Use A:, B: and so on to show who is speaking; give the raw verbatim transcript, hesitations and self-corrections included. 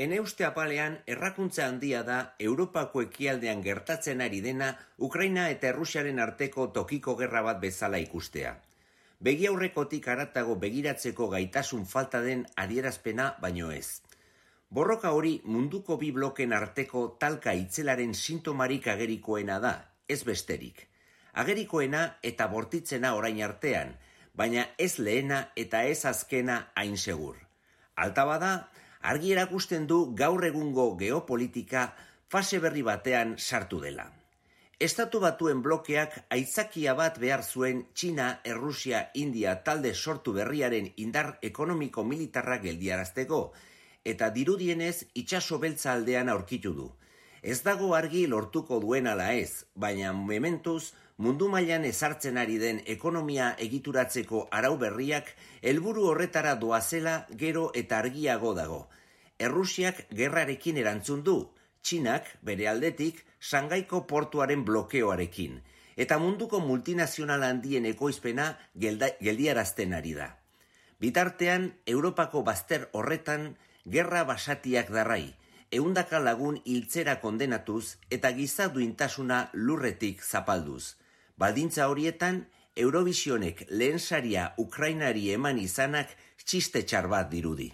A: Ene uste apalean, errakuntza handia da Europako ekialdean gertatzen ari dena Ukraina eta Errusiaren arteko tokiko gerra bat bezala ikustea. Begi aurrekotik haratago begiratzeko gaitasun falta den adierazpena baino ez. Borroka hori munduko bi bloken arteko talka itzelaren sintomarik agerikoena da, ez besterik. Agerikoena eta bortitzena orain artean, baina ez lehena eta ez azkena hain segur. Alta bada, argi erakusten du gaur egungo geopolitika fase berri batean sartu dela. Estatu Batuen blokeak aitzakia bat behar zuen Txina, Errusia, India talde sortu berriaren indar ekonomiko-militarra geldiarazteko, eta dirudienez itsaso beltza aldean aurkitu du. Ez dago argi lortuko duen ala ez, baina mementuz mundu mailan ezartzen ari den ekonomia egituratzeko arau berriak helburu horretara doazela gero eta argiago dago. Errusiak gerrarekin erantzun du, Txinak bere aldetik Shangaiko portuaren blokeoarekin, eta munduko multinazional handien ekoizpena gelda, geldiarazten ari da. Bitartean, Europako bazter horretan gerra basatiak darrai, ehundaka lagun hiltzera kondenatuz eta giza duintasuna lurretik zapalduz. Baldintza horietan, Eurovisionek lehen saria Ukrainari eman izanak txiste txar bat dirudi.